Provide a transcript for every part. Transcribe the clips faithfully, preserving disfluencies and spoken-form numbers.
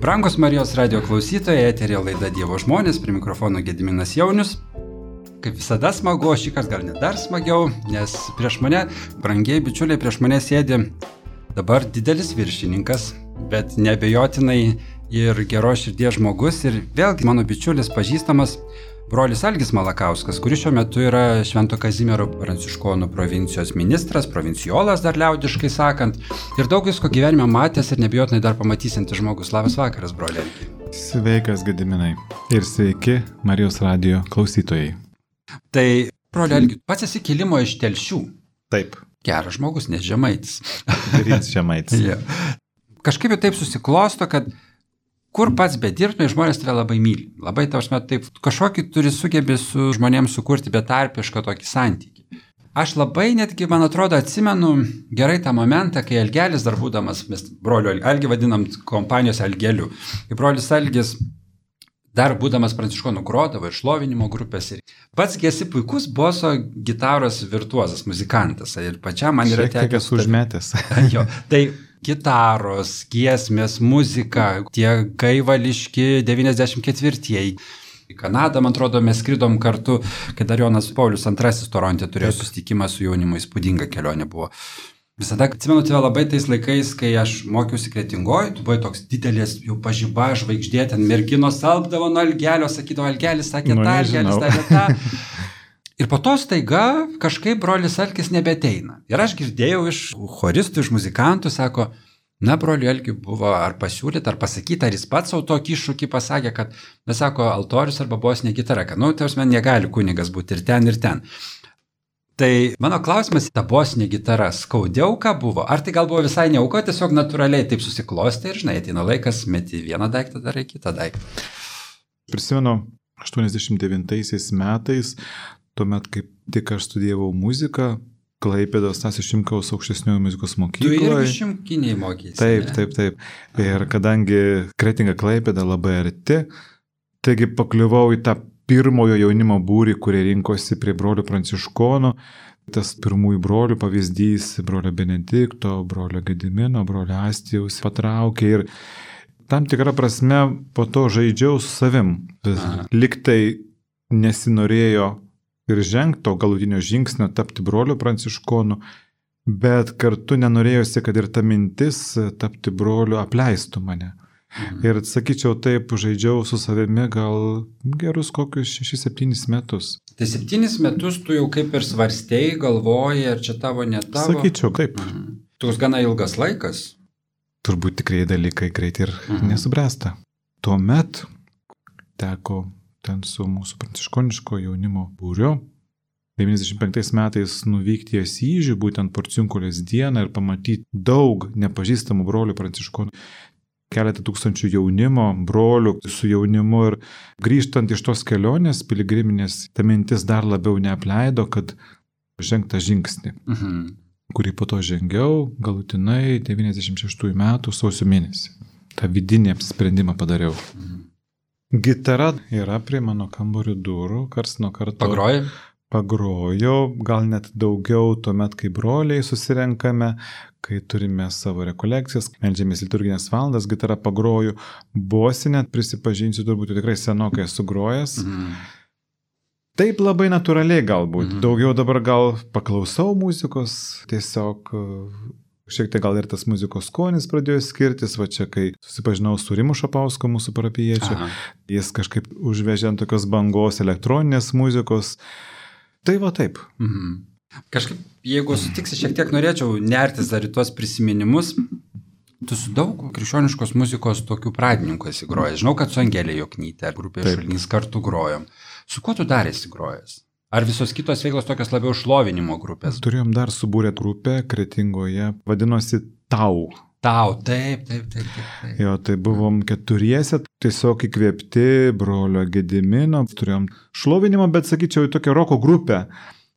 Brangus Marijos radio klausytojai, eteryje laida Dievo žmonės, prie mikrofono Gediminas Jaunius. Kaip visada smagu, šį kartą gal net dar smagiau, nes prieš mane, brangiai bičiuliai, prieš mane sėdi dabar didelis viršininkas, bet neabejotinai ir geros širdies žmogus ir vėlgi mano bičiulis pažįstamas brolis Algis Malakauskas, kuris šiuo metu yra Švento Kazimiero Pranciškonų provincijos ministras, provincijolas dar liaudiškai sakant, ir daug visko gyvenime matęs ir neabejotinai dar pamatysintis žmogus. Labas vakaras, broli Algi. Sveikas, Gediminai. Ir sveiki Marijos radio klausytojai. Tai, broli Algi, pats esi kilimo iš Telšių. Taip. Geras žmogus, nes žemaitis. Darys žemaitis. Ja. Kažkaip jau taip susiklosto, kad kur pats bedirbtumai, žmonės tave labai myli. Labai tavasme taip, kažkokį turi sugebė su žmonėms sukurti betarpišką tokį santykį. Aš labai netgi, man atrodo, atsimenu gerai tą momentą, kai Algelis dar būdamas, mes broliu Algį vadinam kompanijos Algeliu, kai brolis Algis dar būdamas Pranciškonų grodavo ir šlovinimo grupės. Ir pats esi puikus boso gitaros virtuozas, muzikantas. Ir pačiam man yra tekę... Šiek tiek esu užmetęs. Jo, tai gitaros, giesmės, muzika, tie gaivališki devyniasdešimt ketvirtieji. Į Kanadą, man atrodo, mes skridom kartu, kai dar Jonas Paulius antrasis Toronte turėjo susitikimą su jaunimu, įspūdinga kelionė buvo. Visada atsimenu tave labai tais laikais, kai aš mokiausi Kretingoj, tu buvai toks didelis, jau pažyba, žvaigždė, ten merginos alpdavo nuo Algelio, sakydavo, Algelis sakė nu, tą, Algelis sakė tą. Ir po to staiga kažkaip brolis Algis nebeteina. Ir aš girdėjau iš choristų, iš muzikantų, sako, na, broliui Algiui buvo ar pasiūlyta, ar pasakyti, ar jis pats savo tokį iššūkį pasakė, kad, mes sako, altorius arba bosinė gitara, kad, nu, tarsi man negali kunigas būti ir ten, ir ten. Tai mano klausimas, ta bosinė gitara skaudžiau ką buvo? Ar tai gal buvo visai neauko, tiesiog natūraliai taip susiklostė ir, žinai, ateina laikas, meti vieną daiktą, darai kitą daiktą. Prisimenu, aštuoniasdešimt devintaisiais metais, tuomet, kaip tik aš studijavau muziką, Klaipėdos Stasio Šimkaus aukštesniojo muzikos mokykloje. Tu irgi šimkiniai mokėsi. Taip, ne? taip, taip. Ir kadangi Kretinga Klaipėda labai arti, taigi pakliuvau į tą pirmojo jaunimo būrį, kurie rinkosi prie brolių Pranciškonų. Tas pirmųjų brolių pavyzdys, brolio Benedikto, brolio Gedimino, brolio Astijaus patraukė ir tam tikrą prasme po to žaidžiau su savim. Liktai nesinorėjo ir žengto galutinio žingsnio tapti broliu Pranciškonu, bet kartu nenorėjosi, kad ir ta mintis tapti broliu apleistų mane. Mhm. Ir sakyčiau, taip žaidžiau su savimi gal gerus kokius šešis septynis metus. Tai septynis metus tu jau kaip ir svarstėjai, galvojai, ar čia tavo, ne tavo? Sakyčiau, taip. Mhm. Toks gana ilgas laikas. Turbūt tikrai dalykai greit ir mhm. nesubręsta. Tuomet teko ten su mūsų pranciškoniško jaunimo būriu. devyniasdešimt penktais metais nuvykti į Asyžių, būtent Porciunkulės dieną ir pamatyti daug nepažįstamų brolių pranciškonų. Keletą tūkstančių jaunimo, brolių su jaunimu ir grįžtant iš tos kelionės piligriminės, ta mintis dar labiau neapleido, kad žengtą žingsnį, mhm. kurį po to žengiau galutinai devyniasdešimt šeštųjų metų sausio mėnesį. tą vidinį apsisprendimą padariau. Mhm. Gitara yra prie mano kambario durų, kars nuo karto. Pagrojai? Pagrojau, gal net daugiau tuomet, kai broliai susirenkame, kai turime savo rekolekcijas, meldžiamės liturginės valandas, gitarą pagroju. Bosinę, prisipažinsiu, turbūt tikrai senokai esu grojęs. Mhm. Taip labai natūraliai galbūt. Mhm. Daugiau dabar gal paklausau muzikos, tiesiog šiek tiek gal ir tas muzikos skonis pradėjo skirtis, va čia kai susipažinau su Rimu Šapausku, mūsų parapijiečiu, jis kažkaip užvežė ant tokios bangos elektroninės muzikos. Tai va taip. Mhm. Kažkaip, jeigu sutiksi, šiek tiek norėčiau nertis dar į tuos prisiminimus. Tu su daug krikščioniškos muzikos tokių pradininkų esi grojęs. Žinau, kad su Angelė Joknytė ar grupė Šulinys kartu grojom. Su kuo tu dar esi grojęs? Ar visos kitos veiklos tokios labiau šlovinimo grupės? Turėjom dar subūrę grupę Kretingoje, vadinosi Tau. Tau, taip, taip, taip, taip, taip. Jo, tai buvom keturiese, tiesiog įkvėpti brolio Gedimino. Turėjom šlovinimo, bet sakyčiau, į tokią roko grupę.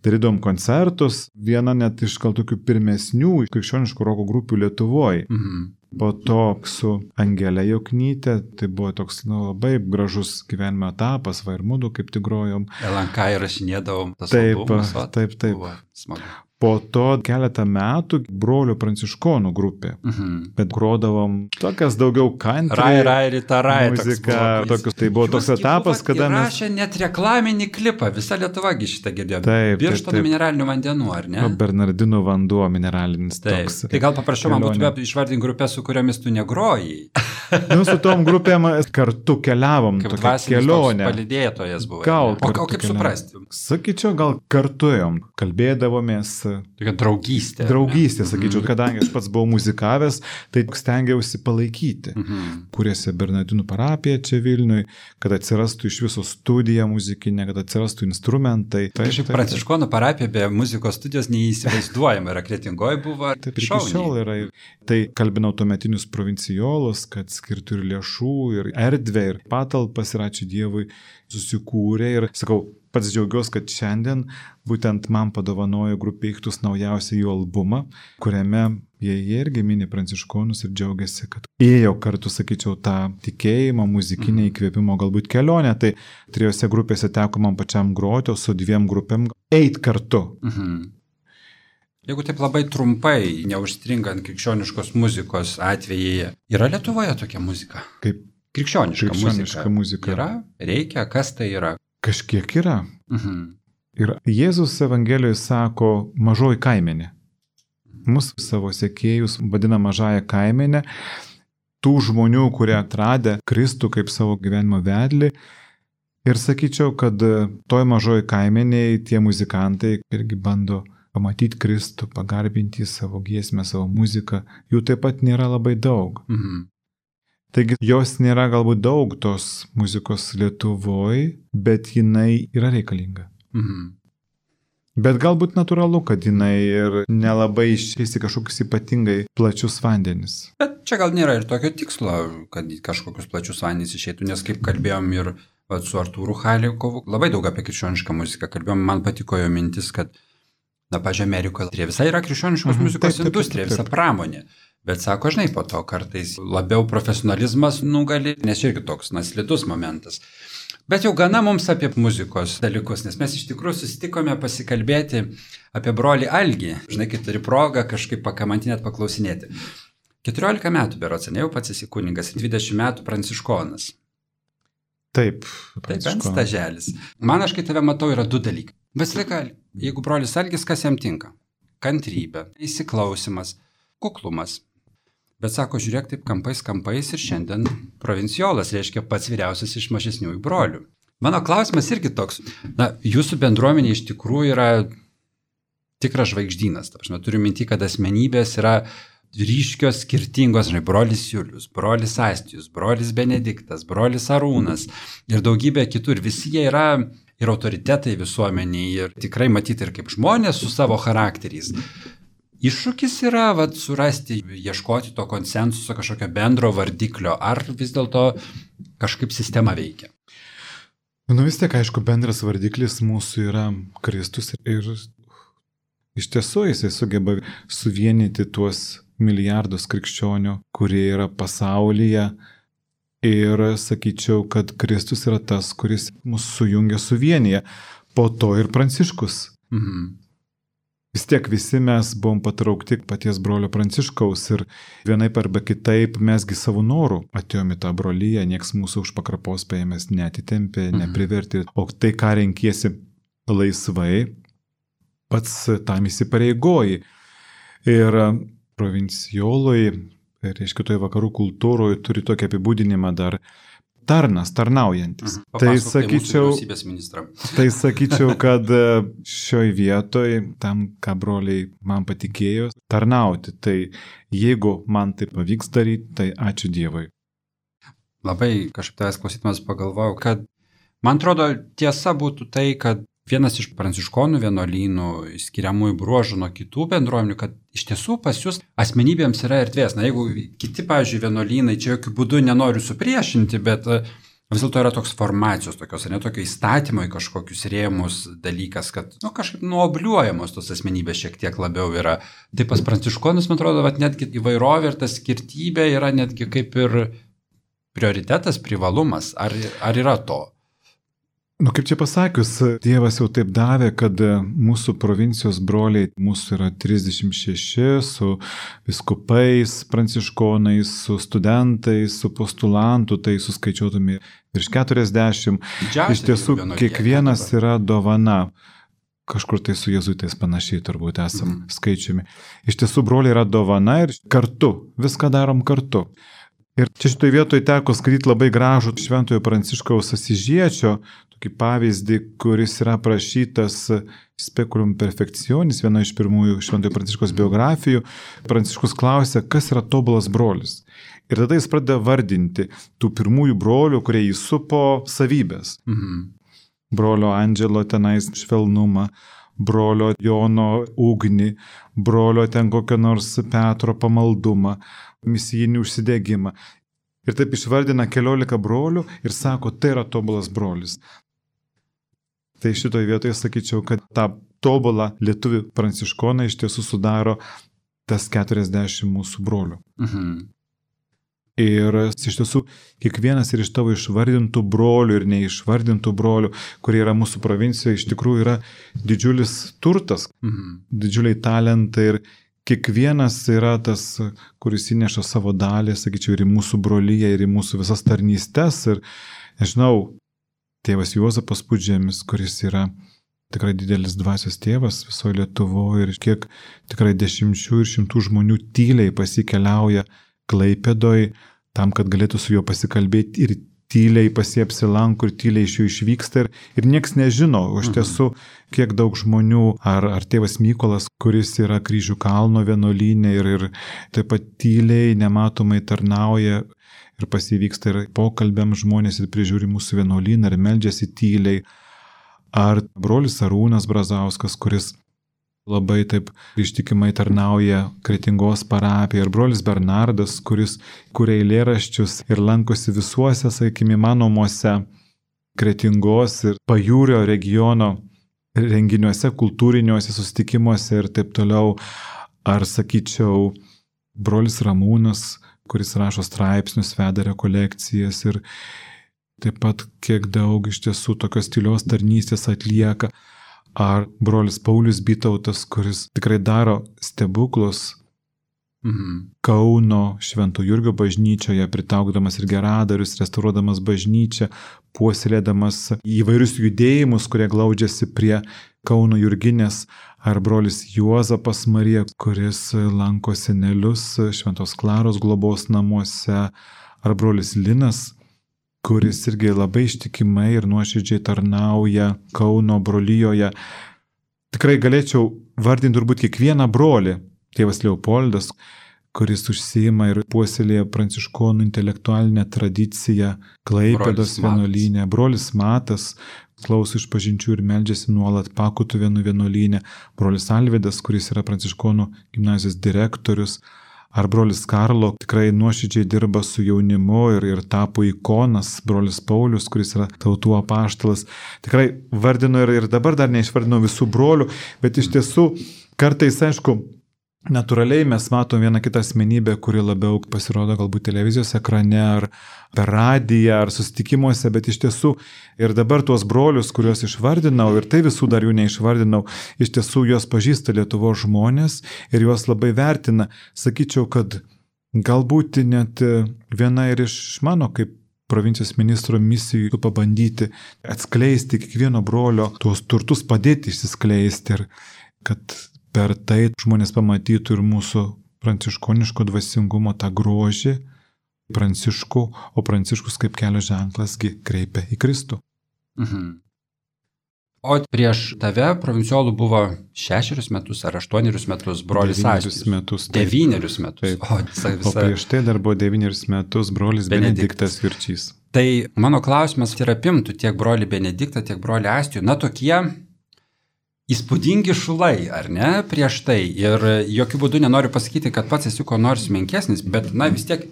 Darydom koncertus, viena net iš gal tokių pirmesnių krikščioniškų roko grupių Lietuvoje. Mhm. Po to su Angelė Joknytė, tai buvo toks nu, labai gražus gyvenimo etapas, va ir mudu kaip tik grojom. L N K įrašinėdavom tas taip, albumus. Taip, taip. Buvo smagu. Po to keletą metų brolių pranciškonų grupė. Mhm. Bet grodavom tokias daugiau country. Rai, rai, rita, rai. Muzika, tokius, tai buvo toks etapas, kada mes... Rašė net reklaminį klipą, visa Lietuvagi šitą girdėjo. Taip, Birštono mineralinių vandenų, ar ne? O Bernardinų vanduo mineralinis taip. Toks. Tai gal paprašiau man būtų išvardinti grupę, su kuriomis tu negrojai. Nu, su tom grupėm kartu keliavom, kaip tokia kelionė. Palydėtojas buvo. Gal, o, o kaip keliavom. Suprasti? Sakyčiau, gal kartu ėjom, kalbėdavomės. Tokia draugystė. Draugystė, sakyčiau, mhm. kadangi aš pats buvau muzikavęs, tai stengiausi palaikyti. Mhm. Kūrėsi Bernardinų parapija čia Vilniui, kad atsirastų iš viso studija muzikinė, kad atsirastų instrumentai. Tai šiaip Pranciškonų parapija be muzikos studijos neįsivaizduojama, yra Kretingoj buvo. Taip, iki šiol yra. Tai kalbinau tuometinius provincijolus, kad skirtų ir lėšų, ir erdvę, ir patalpas, ir ačiū Dievui susikūrė. Ir sakau, pats džiaugiuosi, kad šiandien būtent man padovanojo grupė Ichtus naujausią jų albumą, kuriame jie irgi mini pranciškonus ir džiaugiasi, kad ėjo kartu, sakyčiau, tą tikėjimą, muzikinę įkvėpimo galbūt kelionę. Tai trijose grupėse teko man pačiam groti, o su dviem grupėm eit kartu. Mhm. Jeigu taip labai trumpai, neužstringant krikščioniškos muzikos atvejai, yra Lietuvoje tokia muzika? Kaip krikščioniška, krikščioniška muzika. muzika. Yra? Reikia? Kas tai yra? Kažkiek yra. Mhm. Ir Jėzus Evangelijoje sako mažoji kaimenė. Mus savo sekėjus vadina mažąją kaimenę. Tų žmonių, kurie atradę Kristų kaip savo gyvenimo vedlį. Ir sakyčiau, kad toj mažoji kaimenėje tie muzikantai irgi bando pamatyti Kristų, pagarbinti savo giesmę, savo muziką, jų taip pat nėra labai daug. Mhm. Taigi jos nėra galbūt daug tos muzikos Lietuvoje, bet jinai yra reikalinga. Mhm. Bet galbūt natūralu, kad jinai ir nelabai išeis į kažkokius ypatingai plačius vandenis. Bet čia gal nėra ir tokio tikslo, kad kažkokius plačius vandenis išeitų, nes kaip kalbėjom ir su Artūru Halikovu, labai daug apie krikščionišką muziką kalbėjom, man patiko jo mintis, kad na, pažiūrėjau, Amerikoje visai yra krikščioniškos mhm, muzikos taip, taip, industrija, taip, taip. Visa pramonė. Bet sako, žinai, po to kartais labiau profesionalizmas nugali, nes irgi toks naslidus momentas. Bet jau gana mums apie muzikos dalykus, nes mes iš tikrųjų susitikome pasikalbėti apie brolį Algį. Žinai, kai turi progą kažkaip pakamantinėt paklausinėti. keturiolika metų berods, ne jau pats esi kunigas, dvidešimt metų pranciškonas. Taip. Taip, bent staželis. Man aš, kai tave matau, yra du dalykai. Visą jeigu brolis Algis, kas jam tinka? Kantrybė, įsiklausimas, kuklumas. Bet sako, žiūrėk taip kampais, kampais ir šiandien provinciolas, reiškia pats vyriausias iš mažesniųjų brolių. Mano klausimas irgi toks. Na, jūsų bendruomenė iš tikrųjų yra tikras žvaigždynas. Aš turiu minti, kad asmenybės yra ryškios, skirtingos, žinai, brolis Julius, brolis Astijus, brolis Benediktas, brolis Arūnas ir daugybė kitų. Ir visi jie yra ir autoritetai visuomeniai, ir tikrai matyti ir kaip žmonės su savo charakteriais. Iššūkis yra vat, surasti, ieškoti to konsensuso, kažkokio bendro vardiklio, ar vis dėlto kažkaip sistema veikia? Nu vis tiek, aišku, bendras vardiklis mūsų yra Kristus ir iš tiesų jisai sugeba suvienyti tuos milijardus krikščionių, kurie yra pasaulyje. Ir sakyčiau, kad Kristus yra tas, kuris mus sujungia, suvienyje. Po to ir Pranciškus. Mhm. Vis tiek visi mes buvom patraukti paties brolio Pranciškaus ir vienaip arba kitaip mesgi savo norų atėjome į tą brolyje, nieks mūsų už pakrapos paėmės neatitempė, mhm. neprivertė. O tai, ką renkiesi laisvai, pats tam įsipareigoji. Ir provincijolui, reiškia, toje vakarų kultūroje turi tokį apibūdinimą dar tarnas, tarnaujantis. Mhm. Tai sakyčiau, tai sakyčiau, kad šioj vietoj, tam, ką broliai man patikėjo, tarnauti. Tai jeigu man tai pavyks daryti, tai ačiū Dievui. Labai kažkaip tavęs klausydamas pagalvojau, kad man atrodo tiesa būtų tai, kad vienas iš pranciškonų vienuolynų skiriamųjų bruožų nuo kitų bendruomenių, kad iš tiesų pas jūs asmenybėms yra erdvės. Na, jeigu kiti, pavyzdžiui, vienuolynai, čia jokių būdų nenoriu supriešinti, bet vis dėlto yra toks formacijos, tokios, ne tokio įstatymo į kažkokius rėmus dalykas, kad, nu, kažkaip nuobliuojamos tos asmenybės šiek tiek labiau yra. Tai pas pranciškonus, man atrodo, kad netgi įvairovė ir ta skirtybė yra netgi kaip ir prioritetas, privalumas. Ar, ar yra to? Nu, kaip čia pasakius, Dievas jau taip davė, kad mūsų provincijos broliai, mūsų yra trisdešimt šeši, su viskupais, pranciškonais, su studentais, su postulantų, tai suskaičiuotume virš keturiasdešimt. Didžiausia Iš tiesų, jų kiekvienas yra dovana. Kažkur tai su jėzuitais panašiai turbūt esam mm. skaičiumi. Iš tiesų, broliai yra dovana ir kartu, viską darom kartu. Ir čia šitoj vietoje teko skaityti labai gražų Šventojo Pranciškaus Asižiečio tokį pavyzdį, kuris yra aprašytas Speculum Perfectionis, viena iš pirmųjų Šventojo Pranciškaus biografijų. Pranciškus klausia, kas yra tobulas brolis. Ir tada jis pradeda vardinti tų pirmųjų brolių, kurie jį supo, savybės. Mhm. Brolio Andželo tenais švelnumą, brolio Jono ugnį, brolio ten kokio nors Petro pamaldumą, misijinį užsidegimą. Ir taip išvardina keliolika brolių ir sako, tai yra tobulas brolis. Tai šitoje vietoje sakyčiau, kad tą tobulą lietuvių pranciškoną iš tiesų sudaro tas keturiasdešimt mūsų brolių. Mhm. Ir iš tiesų, kiekvienas ir iš tavo išvardintų brolių ir neišvardintų brolių, kurie yra mūsų provincijoje, iš tikrųjų yra didžiulis turtas, mhm. didžiuliai talentai ir kiekvienas yra tas, kuris įneša savo dalį, sakyčiau, ir į mūsų brolyje, ir į mūsų visas tarnystes. Ir, nežinau, tėvas Juozapas Pudžemis, kuris yra tikrai didelis dvasios tėvas visoje Lietuvoje ir kiek tikrai dešimčių ir šimtų žmonių tyliai pasikeliauja Klaipėdoj, tam, kad galėtų su juo pasikalbėti ir tyliai pasiapsilanko ir tyliai iš jų išvyksta ir, ir nieks nežino, o iš tiesų, kiek daug žmonių, ar, ar tėvas Mykolas, kuris yra Kryžių kalno vienuolyne ir, ir taip pat tyliai, nematomai tarnauja ir pasivyksta ir pokalbiam žmonės ir prižiūri mūsų vienuolyną ir meldžiasi tyliai, ar brolis Arūnas Brazauskas, kuris labai taip ištikimai tarnauja Kretingos parapijoje, ir brolis Bernardas, kuris kuria eilėraščius ir lankosi visuose, sakykime, įmanomuose Kretingos ir Pajūrio regiono renginiuose, kultūriniuose susitikimuose ir taip toliau. Ar sakyčiau, brolis Ramūnas, kuris rašo straipsnius, veda rekolekcijas ir taip pat kiek daug iš tiesų tokios tylios tarnystės atlieka. Ar brolis Paulius Bytautas, kuris tikrai daro stebuklus mhm. Kauno Švento Jurgio bažnyčioje, pritaukdamas ir geradarius, restauruodamas bažnyčią, puoselėdamas įvairius judėjimus, kurie glaudžiasi prie Kauno Jurginės, ar brolis Juozapas Marija, kuris lanko senelius Šventos Klaros globos namuose, ar brolis Linas, kuris irgi labai ištikimai ir nuoširdžiai tarnauja Kauno brolyjoje. Tikrai galėčiau vardinti turbūt kiekvieną brolį. Tėvas Leopoldas, kuris užsiima ir puoselėja pranciškonų intelektualinę tradiciją Klaipėdos vienuolyne. Brolis Matas klauso išpažinčių ir meldžiasi nuolat Pakutuvėnų vienuolyne. Brolis Alvydas, kuris yra pranciškonų gimnazijos direktorius. Ar brolis Karlo tikrai nuoširdžiai dirba su jaunimu ir, ir tapo ikonas, brolis Paulius, kuris yra tautų apaštalas. Tikrai vardinu ir, ir dabar dar neišvardinau visų brolių, bet iš tiesų kartais, aišku, natūraliai mes matom vieną kitą asmenybę, kuri labiau pasirodo galbūt televizijos ekrane ar per radiją ar susitikimuose, bet iš tiesų ir dabar tuos brolius, kuriuos išvardinau, ir tai visų dar jų neišvardinau, iš tiesų juos pažįsta Lietuvos žmonės ir juos labai vertina. Sakyčiau, kad galbūt net viena ir iš mano kaip provincijos ministro misijų pabandyti atskleisti kiekvieno brolio tuos turtus, padėti išsiskleisti ir kad per tai žmonės pamatytų ir mūsų pranciškoniško dvasingumo tą grožį Pranciškų, o Pranciškus kaip kelio ženklasgi kreipia į Kristų. Mhm. O prieš tave provinciolų buvo šešerius metus ar aštuonerius metus brolis Astijus. Metus. Taip. Devynerius metus. O, visa, visa... o prieš tai dar buvo devynerius metus brolis Benediktas, Benediktas Jurčys. Tai mano klausimas ir apimtų tiek brolį Benediktą, tiek brolį Astijų. Na, tokie įspūdingi šulai, ar ne, prieš tai. Ir jokių būdų nenoriu pasakyti, kad pats esi ko nors menkesnis, bet, na, vis tiek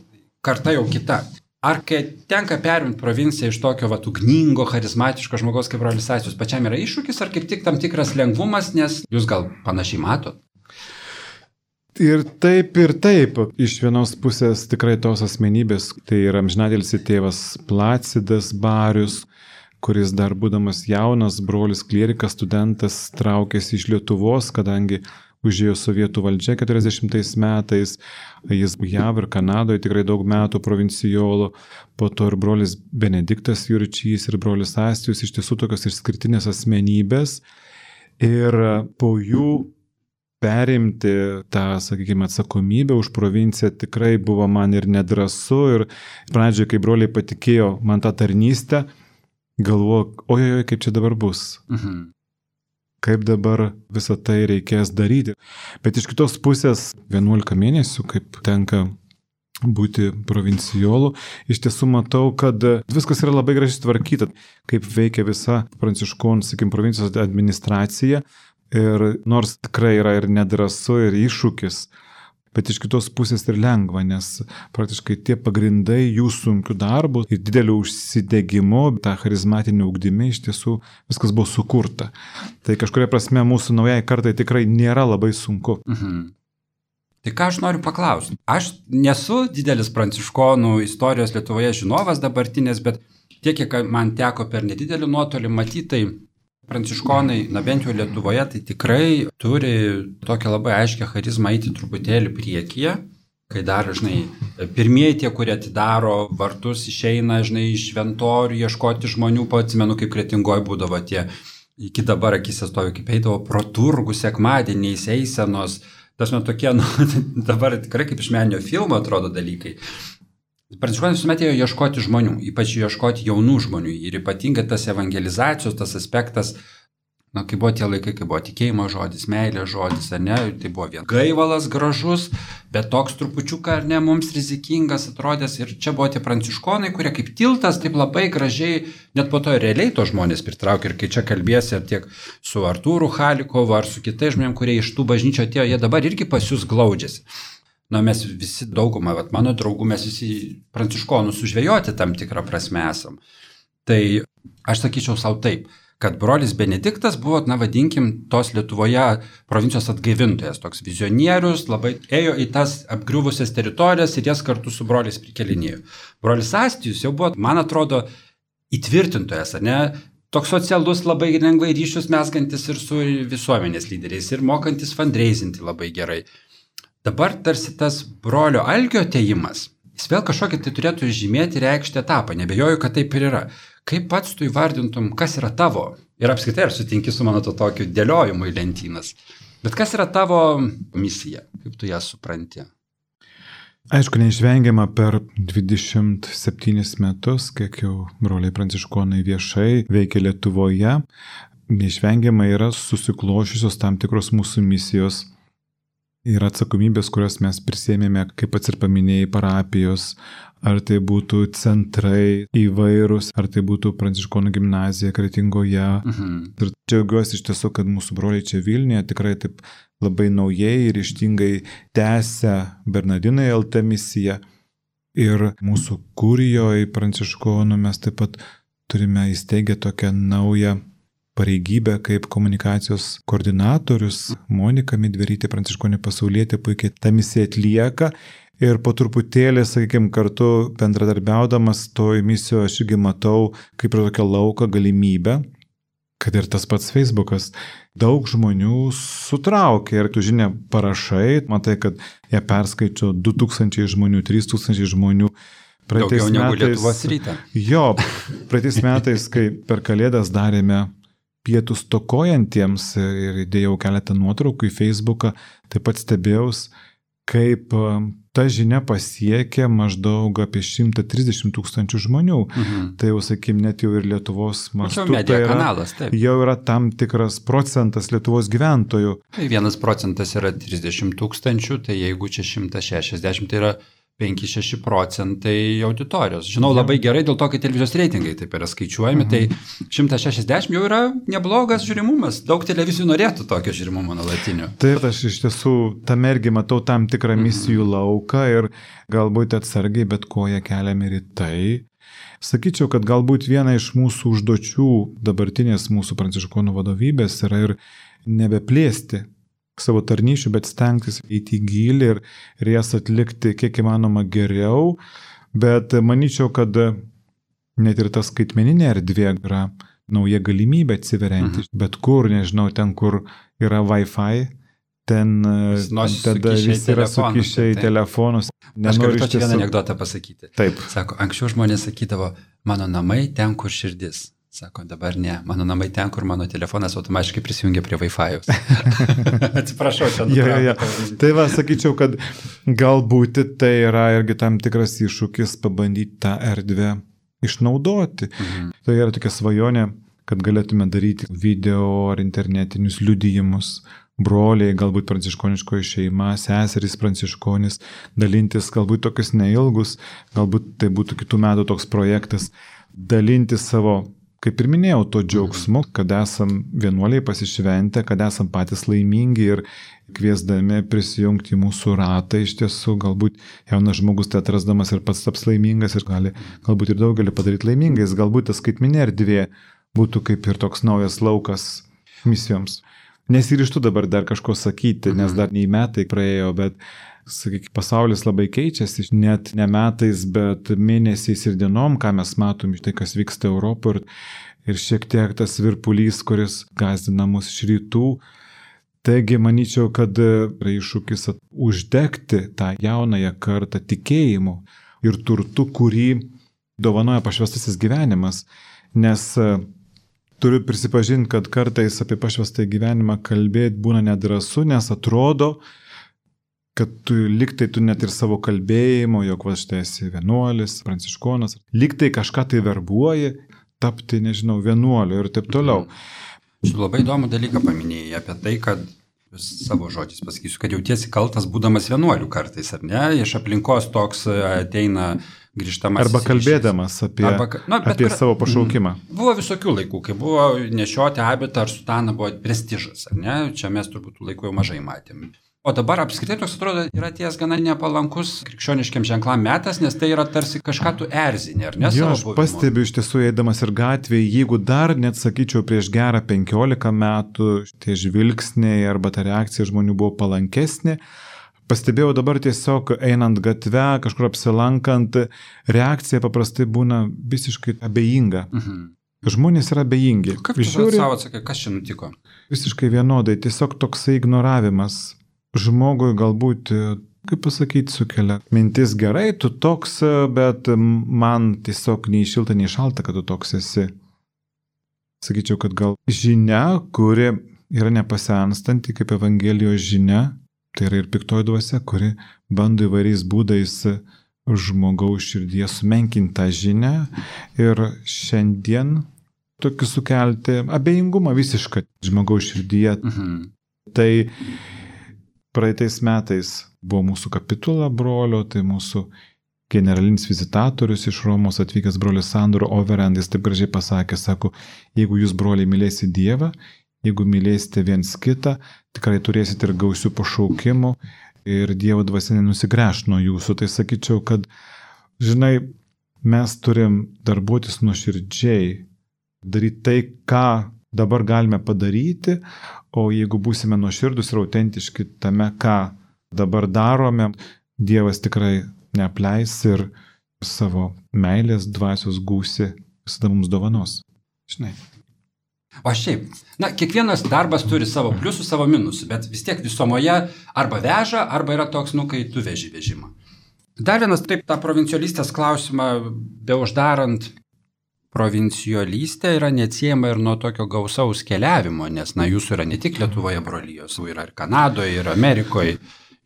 karta jau kita. Ar kai tenka perimti provinciją iš tokio vat, ugningo, charizmatiško žmogaus kaip brolis Astijus, pačiam yra iššūkis, ar kaip tik tam tikras lengvumas, nes jūs gal panašiai matot? Ir taip, ir taip. Iš vienos pusės tikrai tos asmenybės, tai yra amžinatilsį tėvas Placidas Barius, kuris dar būdamas jaunas, brolis klierikas, studentas, traukėsi iš Lietuvos, kadangi užėjo sovietų valdžia keturiasdešimtais metais, jis J A V ir Kanadoje tikrai daug metų provincijolo, po to ir brolis Benediktas Jurčys ir brolis Astijus, iš tiesų tokios išskirtinės asmenybės, ir po jų perimti tą, sakykime, atsakomybę už provinciją tikrai buvo man ir nedrąsu, ir pradžioje, kai broliai patikėjo man tą tarnystę, galvoju, ojoj, kaip čia dabar bus. Mhm. Kaip dabar visą tai reikės daryti. Bet iš kitos pusės vienuolika mėnesių, kaip tenka būti provincijolu, iš tiesų matau, kad viskas yra labai gražiai tvarkyta, kaip veikia visa pranciškonų, sakykim, provincijos administracija. Ir nors tikrai yra ir nedrąsu, ir iššūkis, bet iš kitos pusės ir lengva, nes praktiškai tie pagrindai jų sunkių darbų ir didelių užsidegimo, tą charizmatinį ugdymį, iš tiesų viskas buvo sukurta. Tai kažkuria prasme mūsų naujai kartai tikrai nėra labai sunku. Mhm. Tai ką aš noriu paklausti? Aš nesu didelis pranciškonų istorijos Lietuvoje žinovas dabartinės, bet tiek, kiek man teko per nedidelį nuotolį matyti, tai pranciškonai, na bent jau Lietuvoje, tai tikrai turi tokią labai aiškę charizmą eiti truputėlį priekyje, kai dar, žinai, pirmieji tie, kurie atidaro vartus, išeina, žinai, iš šventorių, ieškoti žmonių, atsimenu, kaip Kretingoje būdavo tie, iki dabar akise stovi, kaip eidavo pro turgų sekmadieniais, eisenos, tas man tokie, nu, dabar tikrai kaip iš meninio filmo atrodo dalykai. Pranciškonai visuomet ėjo ieškoti žmonių, ypač ieškoti jaunų žmonių, ir ypatingai tas evangelizacijos, tas aspektas, na, kai buvo tie laikai, kai buvo tikėjimo žodis, meilės žodis, ar ne, tai buvo vien gaivalas gražus, bet toks trupučiuką, ar ne, mums rizikingas atrodęs, ir čia buvo tie pranciškonai, kurie kaip tiltas, taip labai gražiai, net po to realiai to žmonės pritraukė, ir kai čia kalbėsi ar tiek su Artūru Halikovu, ar su kitais žmonėm, kurie iš tų bažnyčio atėjo, jie dabar irgi pas jūs glaudžiasi. Na, mes visi daugumą, vat, mano draugų, mes visi pranciškonų sužvejoti tam tikrą prasme esam. Tai aš sakyčiau savo taip, kad brolis Benediktas buvo, na, vadinkim, tos Lietuvoje provincijos atgaivintojas, toks vizionierius, labai ėjo į tas apgriuvusias teritorijas ir jas kartu su broliais prikelinėjo. Brolis Astijus jau buvo, man atrodo, įtvirtintojas, ar ne? Toks socialus, labai lengvai ryšius mesgantis ir su visuomenės lyderiais, ir mokantis fundraisinti labai gerai. Dabar tarsi tas brolio Algio atėjimas, jis vėl kažkokį tai turėtų žymėti reikšti etapą, nebejoju, kad taip ir yra. Kaip pats tu įvardintum, kas yra tavo? Ir apskritai, ar sutinki su mano to tokiu dėliojimu į lentynas. Bet kas yra tavo misija? Kaip tu ją supranti? Aišku, neišvengiama per dvidešimt septynis metus, kiek jau broliai pranciškonai viešai veikia Lietuvoje, neišvengiama yra susiklošiusios tam tikros mūsų misijos. Yra atsakomybės, kurias mes prisėmėme, kaip pats ir paminėjai, parapijos, ar tai būtų centrai įvairūs, ar tai būtų pranciškonų gimnazija Kretingoje. Mhm. Ir džiaugiuosi iš tiesų, kad mūsų broliai čia Vilniuje tikrai taip labai naujai ir ryžtingai tęsia Bernardinai L T misiją. Ir mūsų kurijoje pranciškonų mes taip pat turime įsteigę tokią naują pareigybę kaip komunikacijos koordinatorius. Monika Midverytė, pranciškonė pasaulietė, puikiai tą misiją atlieka, ir po truputėlį, sakykime, kartu bendradarbiaudamas toj misijoje aš irgi matau kaip ir tokią lauką galimybę, kad ir tas pats Facebookas daug žmonių sutraukia, ir tu žinia parašai, matai, kad jie perskaičio du tūkstančiai žmonių, trys tūkstančiai žmonių. Daugiau negu Lietuvos rytą. Jo, praeitais metais, kai per Kalėdas darėme pietus stokojantiems ir įdėjau keletą nuotraukų į Facebooką, taip pat stebėjaus, kaip ta žinia pasiekė maždaug apie šimtą trisdešimt tūkstančių žmonių. Mhm. Tai jau, sakykim, net jau ir Lietuvos mastu. Čia medija kanalas, taip. Jau yra tam tikras procentas Lietuvos gyventojų. Tai vienas procentas yra trisdešimt tūkstančių, tai jeigu čia šimtas šešiasdešimt, tai yra penki šeši procentai auditorijos. Žinau labai gerai, dėl to, kad televizijos reitingai taip yra skaičiuojami, mhm. tai šimtas šešiasdešimt jau yra neblogas žiūrimumas. Daug televizijų norėtų tokio žiūrimumo nuolatinio. Taip, aš iš tiesų tame irgi matau tam tikrą misijų mhm. lauką, ir galbūt atsargiai, bet koja keliam ir į tai. Sakyčiau, kad galbūt viena iš mūsų užduočių dabartinės mūsų pranciškonų vadovybės yra ir nebeplėsti savo tarnyšių, bet stengtis įti į gilį ir, ir jas atlikti kiek įmanoma geriau. Bet manyčiau, kad net ir ta skaitmeninė erdvė yra nauja galimybė atsiverianti. Mhm. Bet kur, nežinau, ten, kur yra Wi-Fi, ten tada visi yra sukišę į telefonus. Aš galiu tokį vieną anekdotą pasakyti. Taip. Sako, anksčiau žmonės sakydavo, mano namai ten, kur širdis. Sako, dabar ne, mano namai ten, kur mano telefonas automatiškai prisijungia prie Wi-Fi'aus. Atsiprašau, čia nutraukau. Tai va, sakyčiau, kad galbūt tai yra irgi tam tikras iššūkis pabandyti tą erdvę išnaudoti. Mhm. Tai yra tokia svajonė, kad galėtume daryti video ar internetinius liudijimus, broliai, galbūt pranciškoniškoji šeima, seserys pranciškonis, dalintis galbūt tokius neilgus, galbūt tai būtų kitų metų toks projektas, dalintis savo, kaip ir minėjau, to džiaugsmu, kad esam vienuoliai pasišventę, kad esam patys laimingi ir kviesdami prisijungti į mūsų ratą, iš tiesų galbūt jaunas žmogus tai atrasdamas ir pats taps laimingas ir gali galbūt ir daugelį padaryti laimingais, galbūt tas skaitmeninė erdvė būtų kaip ir toks naujas laukas misijoms. Nesiryžtu dabar dar kažko sakyti, nes dar nei metai praėjo, bet sakykime, pasaulis labai keičiasi, net ne metais, bet mėnesiais ir dienom, ką mes matom iš tai, kas vyksta Europoje ir, ir šiek tiek tas virpulys, kuris gazdina mus iš rytų. Taigi, manyčiau, kad yra iššūkis uždegti tą jaunąją kartą tikėjimu ir turtu, kurį dovanoja pašvęstasis gyvenimas, nes turiu prisipažinti, kad kartais apie pašvęstą gyvenimą kalbėti būna nedrąsu, nes atrodo, kad tu liktai tu net ir savo kalbėjimo, jog va štai esi vienuolis, pranciškonas, liktai kažką tai verbuoji, tapti, nežinau, vienuoliu ir taip toliau. Aš labai įdomų dalyką paminėjai apie tai, kad savo žodžiais pasakysiu, kad jautiesi kaltas būdamas vienuoliu kartais, ar ne? Iš aplinkos toks ateina grįžtamas. Arba kalbėdamas apie, Arba, nu, apie kur, savo pašaukimą. Buvo visokių laikų, kai buvo nešioti abitą ar sutaną buvo prestižas, ar ne? Čia mes turbūt tų laikų jau mažai matėm. O dabar apskritai toks atrodo yra ties gana nepalankus krikščioniškiam ženklam metas, nes tai yra tarsi kažką tu erzinė, ar ne? Jo, aš pastebiu iš tiesų, eidamas ir gatvėje, jeigu dar net sakyčiau prieš gerą penkiolika metų tie žvilgsniai arba ta reakcija žmonių buvo palankesnė, pastebėjau dabar tiesiog einant gatve, kažkur apsilankant, reakcija paprastai būna visiškai abejinga. Mhm. Žmonės yra abejingi. Kaip tu Žiūri, savo atsakai, kas čia nutiko? Visiškai vienodai, tiesiog toksai ignoravimas. Žmogui galbūt, kaip pasakyti, sukelia mintis gerai, tu toks, bet man tiesiog nei šilta, nei šalta, kad tu toks esi. Sakyčiau, kad gal žinia, kuri yra nepasenstanti kaip Evangelijos žinia, tai yra ir piktoji dvasia, kuri bando įvairiais būdais žmogaus širdyje sumenkinti tą žinią ir šiandien tokį sukelti abejingumą visišką žmogaus širdyje. Mhm. Tai praeitais metais buvo mūsų kapitula brolio, tai mūsų generalinis vizitatorius iš Romos atvykęs brolis Sandro Overend, jis taip gražiai pasakė, sako, jeigu jūs broliai mylėsite Dievą, jeigu mylėsite viens kitą, tikrai turėsite ir gausių pašaukimų ir Dievo dvasia nenusigręš nuo jūsų. Tai sakyčiau, kad, žinai, mes turim darbuotis nuoširdžiai, daryti tai, ką dabar galime padaryti, o jeigu būsime nuoširdus ir autentiški tame, ką dabar darome, Dievas tikrai neapleis ir savo meilės dvasios gūsi visada mums dovanos. Žinai. O šiaip, na, kiekvienas darbas turi savo pliusų, savo minusų, bet vis tiek visumoje arba veža, arba yra toks, nu, kai tu veži vežimą. Dar vienas, taip, tą provincialistės klausimą, be uždarant, provincialystė yra neatsiejama ir nuo tokio gausaus keliavimo, nes, na, jūsų yra ne tik Lietuvoje brolijos, yra ir Kanadoje, ir Amerikoje,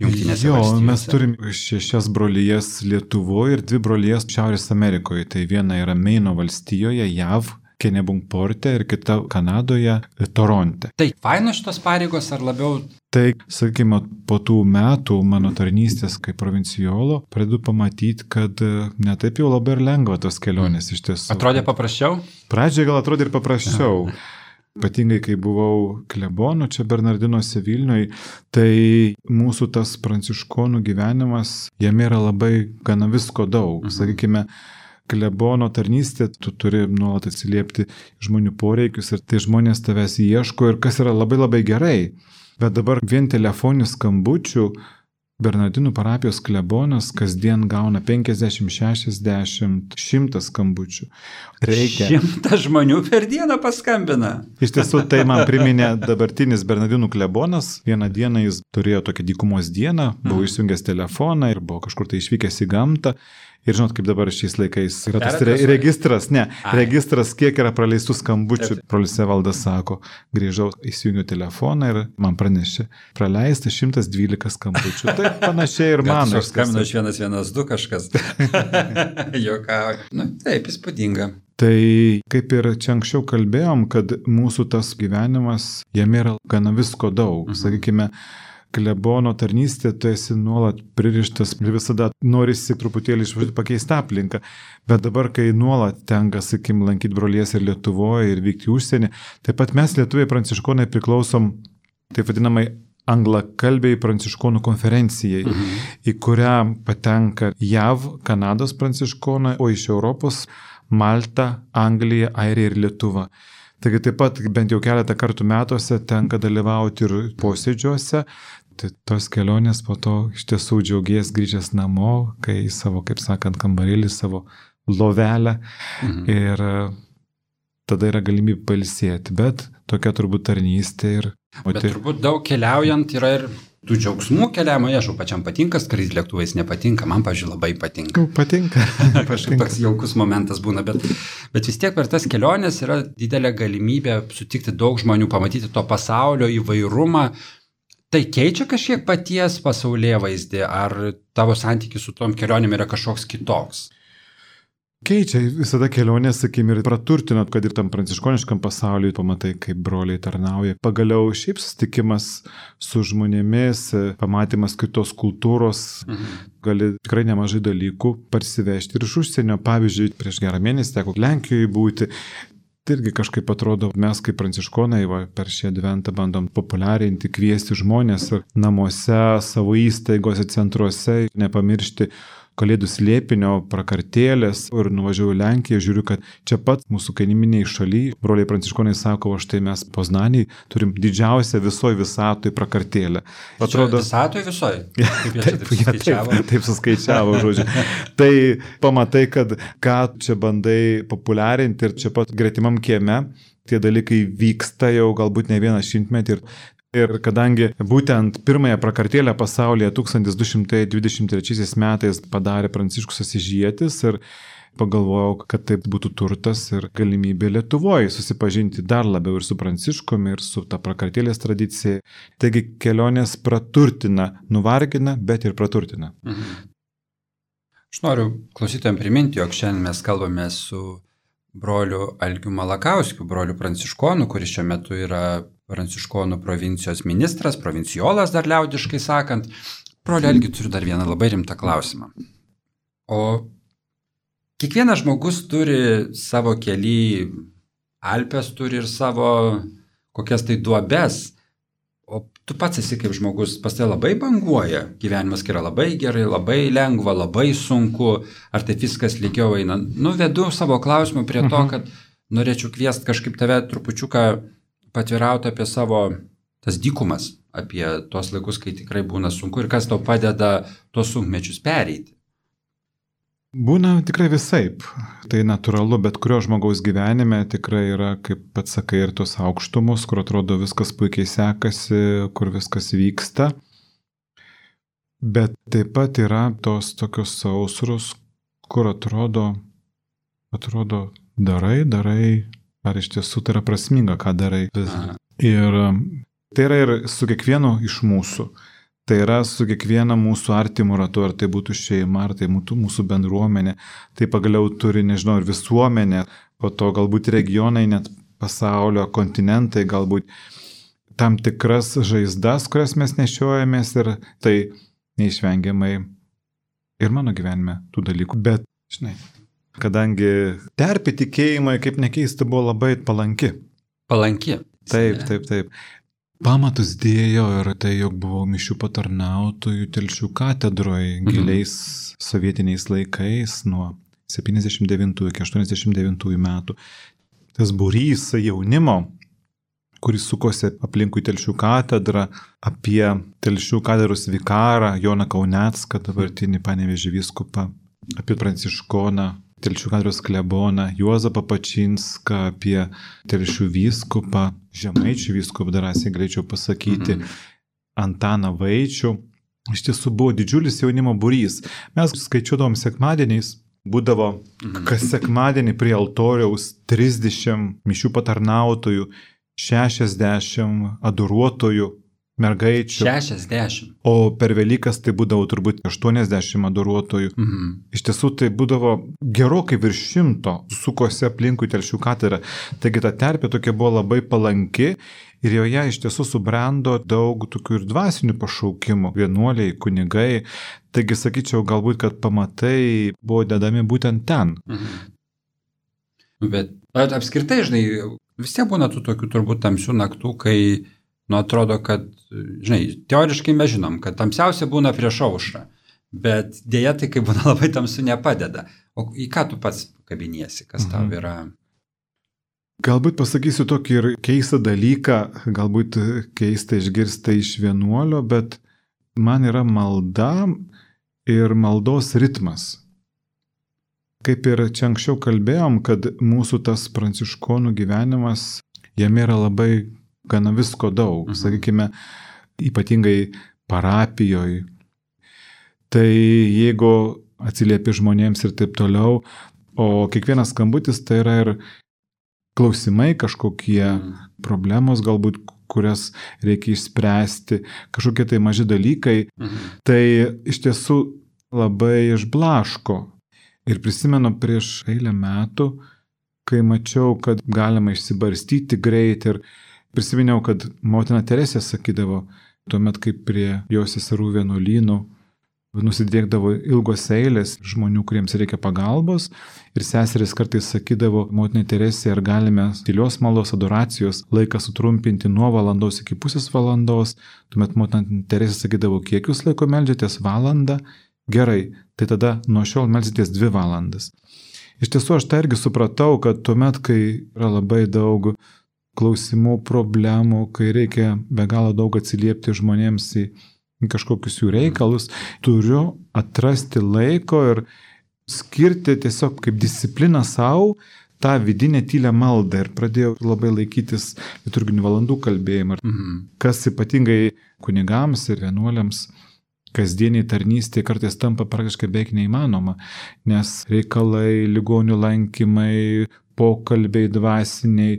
Jungtinėse jo, valstijose. Mes turim šešias brolijas Lietuvoje ir dvi brolijas Šiaurės Amerikoje. Tai viena yra Meino valstijoje, J A V, Kennebunkporte ir kita Kanadoje, Toronte. Tai faino šitos pareigos ar labiau? Tai, sakykime, po tų metų mano tarnystės kaip provincijolo pradedu pamatyti, kad netaip jau labai ir lengva tos kelionės iš tiesų. Atrodė paprasčiau? Pradžioje gal atrodė ir paprasčiau. Ypatingai, kai buvau klebonu čia Bernardinuose Vilniuje, tai mūsų tas pranciškonų gyvenimas, jame yra labai gana visko daug. Mhm. Sakykime, klebono tarnystė, tu turi nuolat atsiliepti žmonių poreikius ir tai žmonės tavęs ieško ir kas yra labai labai gerai. Bet dabar vien telefoninių skambučių Bernardinų parapijos klebonas kasdien gauna penkiasdešimt, šešiasdešimt, šimtą skambučių. Reikia. Šimtas žmonių per dieną paskambina. Iš tiesų, tai man priminė dabartinis Bernardinų klebonas. Vieną dieną jis turėjo tokią dykumos dieną, buvo mm. išjungęs telefoną ir buvo kažkur tai išvykęs į gamtą. Ir žinot, kaip dabar šiais laikais yra tas re registras, ne, Ai. registras, kiek yra praleistų skambučių. Brolis Evaldas sako, grįžau, įsijungiu telefoną ir man pranešė, praleista šimtas dvylika skambučių. Tai panašiai ir man. Aš skambinu iš vienas vienas du kažkas. Jokau. Nu, taip, įspūdinga. Tai kaip ir čia anksčiau kalbėjom, kad mūsų tas gyvenimas, jame yra gana visko daug. Mhm. Sakykime, klebono tarnystė, tu esi nuolat pririštas ir visada norisi truputėlį išvažiuoti pakeisti aplinką. Bet dabar, kai nuolat tenka, sakykim, lankyti brolies ir Lietuvoje ir vykti į užsienį, taip pat mes lietuviai pranciškonai priklausom, taip vadinamai, anglakalbiai pranciškonų konferencijai, mhm. į kurią patenka J A V, Kanados pranciškonai, o iš Europos Malta, Anglija, Airija ir Lietuva. Taigi taip pat bent jau keletą kartų metuose tenka dalyvauti ir posėdžiuose. Tai tos kelionės po to iš tiesų džiaugies grįžęs namo, kai į savo, kaip sakant, kambarėlį, savo lovelę. Mhm. Ir tada yra galimybė pailsėti. Bet tokia turbūt tarnystė ir... Bet tai... turbūt daug keliaujant yra ir tų džiaugsmų keliavimo, aišku, pačiam patinka, skrydį lėktuvais nepatinka, man, pavyzdžiui, labai patinka. Patinka. Kažkaip toks jaukus momentas būna, bet, bet vis tiek per tas keliones yra didelė galimybė sutikti daug žmonių, pamatyti to pasaulio įvairumą. Tai keičia kažkiek paties pasaulėvaizdį, ar tavo santykis su tom kelionėm yra kažkoks kitoks? Keičia visada kelionės, sakykim, ir praturtinat, kad ir tam pranciškoniškam pasauliui pamatai, kaip broliai tarnauja. Pagaliau šiaip susitikimas su žmonėmis, pamatymas kitos kultūros, mhm. gali tikrai nemažai dalykų parsivežti ir iš užsienio. Pavyzdžiui, prieš gerą mėnesį teko Lenkijoje būti. Tai irgi kažkaip atrodo, mes kaip pranciškonai va, per šį adventą bandom populiarinti, kviesti žmonės namuose, savo įstaigose, centruose, nepamiršti Kalėdų slėpinio, prakartėlės. Ir nuvažiavau į Lenkiją, žiūriu, kad čia pat mūsų kaimyniniai šaly, broliai pranciškonai sako, o štai mes Poznaniai turim didžiausią visoje visatoje prakartėlę. Atrodo, visatoje visoje? Taip, taip, taip, taip, taip suskaičiavo, žodžiu. Tai pamatai, kad ką čia bandai populiarinti ir čia pat gretimam kieme, tie dalykai vyksta jau galbūt ne vieną šimtmetį. Ir Ir kadangi būtent pirmąją prakartėlę pasaulyje tūkstantis du šimtai dvidešimt trečiaisiais metais padarė Pranciškus Asyžietis ir pagalvojau, kad taip būtų turtas ir galimybė Lietuvoje susipažinti dar labiau ir su Pranciškumi, ir su ta prakartėlės tradicija. Taigi kelionės praturtina, nuvargina, bet ir praturtina. Mhm. Aš noriu klausytojams priminti, jog šiandien mes kalbame su broliu Algiu Malakauskiu, broliu pranciškonu, kuris šiuo metu yra Pranciškonų provincijos ministras, provinciolas dar liaudiškai sakant. Broli Algi, turiu dar vieną labai rimtą klausimą. O kiekvienas žmogus turi savo kely, Alpes turi ir savo kokias tai duobes, o tu pats esi kaip žmogus, pas tai labai banguoja, gyvenimas yra labai gerai, labai lengva, labai sunku, ar tai viskas lygiau eina. Nuvedu savo klausimą prie to, kad norėčiau kviesti kažkaip tave trupučiuką patvirauti apie savo tas dykumas, apie tuos laikus, kai tikrai būna sunku ir kas tau padeda tuos sunkmečius pereiti. Būna tikrai visaip. Tai natūralu, bet kurio žmogaus gyvenime tikrai yra, kaip pats sakai, ir tos aukštumus, kur atrodo viskas puikiai sekasi, kur viskas vyksta. Bet taip pat yra tos tokios sausros, kur atrodo, atrodo darai, darai, ar iš tiesų tai yra prasminga, ką darai. Aha. Ir tai yra ir su kiekvienu iš mūsų. Tai yra su kiekviena mūsų artimų ratu, ar tai būtų šeima, ar tai būtų mūsų bendruomenė. Tai pagaliau turi, nežinau, ir visuomenė, po to galbūt regionai, net pasaulio, kontinentai, galbūt tam tikras žaizdas, kurias mes nešiojamės ir tai neišvengiamai ir mano gyvenime tų dalykų. Bet, žinai, kadangi terpė tikėjimai, kaip nekeista, buvo labai palanki. Palanki. Taip, taip, taip. Pamatus dėjo ir tai, jog buvau mišių patarnautojų Telšių katedroje giliais mhm. sovietiniais laikais nuo septyniasdešimt devintųjų iki aštuoniasdešimt devintųjų metų. Tas būrys jaunimo kuris sukosi aplinkui Telšių katedrą, apie Telšių katedros vikarą Joną Kaunecką, dabartinį Panevėžio vyskupą, apie pranciškoną, Telšių katedros kleboną Juozapą Pačinską, apie Telšių vyskupą, Žemaičių vyskupą, drąsiai greičiau pasakyti, mm. Antaną Vaičių. Iš tiesų buvo didžiulis jaunimo būrys. Mes skaičiuodavom sekmadieniais, būdavo kas sekmadienį prie altoriaus trisdešimt mišių patarnautojų, šešiasdešimt adoruotojų, mergaičių. šešiasdešimt. O per Velykas tai būdavo turbūt aštuoniasdešimt adoruotojų. Mhm. Iš tiesų tai būdavo gerokai virš šimto sukosi aplinkui Telšių katedrą. Taigi ta terpė tokia buvo labai palanki ir joje iš tiesų subrendo daug tokių ir dvasinių pašaukimų, vienuoliai, kunigai. Taigi sakyčiau, galbūt, kad pamatai buvo dedami būtent ten. Mhm. Bet, bet apskritai, žinai, vis tiek būna tų tokių turbūt tamsių naktų, kai, nu, atrodo, kad, žinai, teoriškai mes žinom, kad tamsiausia būna prieš aušrą, bet dėja tai, kai būna labai tamsu, nepadeda. O į ką tu pats kabiniesi, kas tau yra? Galbūt pasakysiu tokį ir keistą dalyką, galbūt keistą išgirsta iš vienuolio, bet man yra malda ir maldos ritmas. Kaip ir čia anksčiau kalbėjom, kad mūsų tas pranciškonų gyvenimas, jame yra labai gana visko daug, mhm. sakykime, ypatingai parapijoje. Tai jeigu atsiliepi žmonėms ir taip toliau, o kiekvienas skambutis tai yra ir klausimai kažkokie, mhm. problemos galbūt, kurias reikia išspręsti, kažkokie tai maži dalykai, mhm. tai iš tiesų labai išblaško. Ir prisimenu prieš eilę metų, kai mačiau, kad galima išsibarstyti greit ir prisiminiau, kad motina Teresė sakydavo, tuomet kaip prie jos seserų vienuolynų nusidriekdavo ilgos eilės žmonių, kuriems reikia pagalbos ir seseris kartais sakydavo, motina Teresė, ar galime tylios maldos adoracijos laiką sutrumpinti nuo valandos iki pusės valandos, tuomet motina Teresė sakydavo, kiek jūs laiko meldžiatės valandą, gerai, tai tada nuo šiol melsitės dvi valandas. Iš tiesų aš tai irgi supratau, kad tuomet, kai yra labai daug klausimų, problemų, kai reikia be galo daug atsiliepti žmonėms į kažkokius jų reikalus, turiu atrasti laiko ir skirti tiesiog kaip discipliną savo tą vidinę tylę maldą ir pradėjau labai laikytis liturginių valandų kalbėjimą, mhm. kas ypatingai kunigams ir vienuoliams kasdieniai tarnystė kartais tampa praktiškai beveik neįmanoma, nes reikalai, ligonių lankymai, pokalbiai dvasiniai,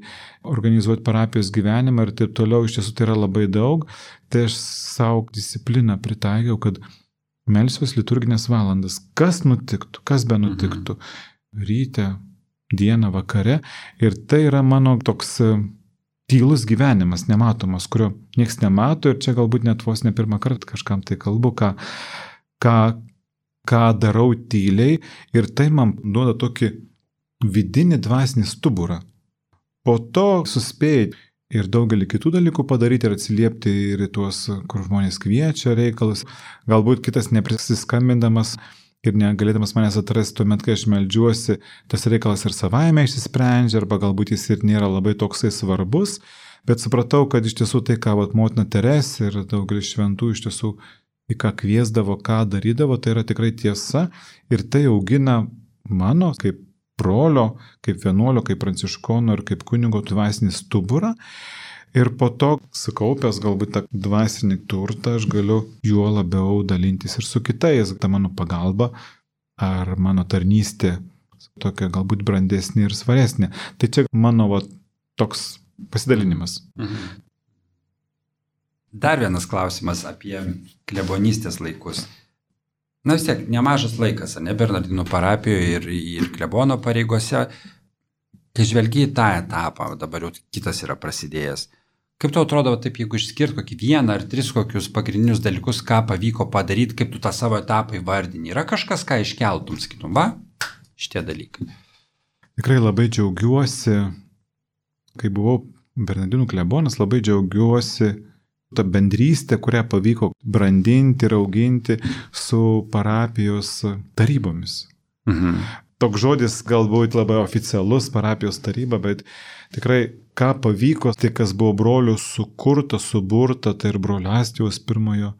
organizuoti parapijos gyvenimą ir taip toliau, iš tiesų tai yra labai daug, tai aš savo discipliną pritaikiau, kad melsiuos liturginės valandas, kas nutiktų, kas be nutiktų, mhm. ryte, dieną, vakare, ir tai yra mano toks tylus gyvenimas, nematomas, kurio nieks nemato ir čia galbūt net vos ne pirmą kartą kažkam tai kalbu, ką, ką, ką darau tyliai ir tai man duoda tokį vidinį dvasinį stuburą. Po to suspėjai ir daugelį kitų dalykų padaryti ir atsiliepti ir į tuos, kur žmonės kviečia reikalus. Galbūt kitas neprisiskambindamas ir negalėdamas manęs atrasti tuomet, kai aš meldžiuosi, tas reikalas ir savaime išsisprendžia, arba galbūt jis ir nėra labai toksai svarbus, bet supratau, kad iš tiesų tai, ką vat, motina Teresė ir daugelis šventų iš tiesų į ką kviesdavo, ką darydavo, tai yra tikrai tiesa ir tai augina mano kaip brolio, kaip vienuolio, kaip pranciškono ir kaip kunigo dvasinį stuburą. Ir po to, sukaupęs galbūt tą dvasinį turtą, aš galiu juo labiau dalintis ir su kitais. Ta mano pagalba ar mano tarnystė tokia galbūt brandesnė ir svaresnė. Tai čia mano va, toks pasidalinimas. Mhm. Dar vienas klausimas apie klebonystės laikus. Na vis tiek, nemažas laikas, ne Bernardinų parapijoje ir, ir klebono pareigose. Kai žvelgi į tą etapą, dabar jau kitas yra prasidėjęs. Kaip tau atrodo, taip, jeigu išskirt kokį vieną ar tris kokius pagrindinius dalykus, ką pavyko padaryti, kaip tu tą savo etapą įvardini? Yra kažkas, ką iškeltum, sakytum, va, šitie dalykai? Tikrai labai džiaugiuosi, kai buvau Bernardinų klebonas, labai džiaugiuosi tą bendrystę, kurią pavyko brandinti ir auginti su parapijos tarybomis. Mhm. toks žodis galbūt labai oficialus, parapijos taryba, bet tikrai ką pavyko, tai kas buvo brolių sukurta, suburta, tai ir brolio Astijaus pirmojo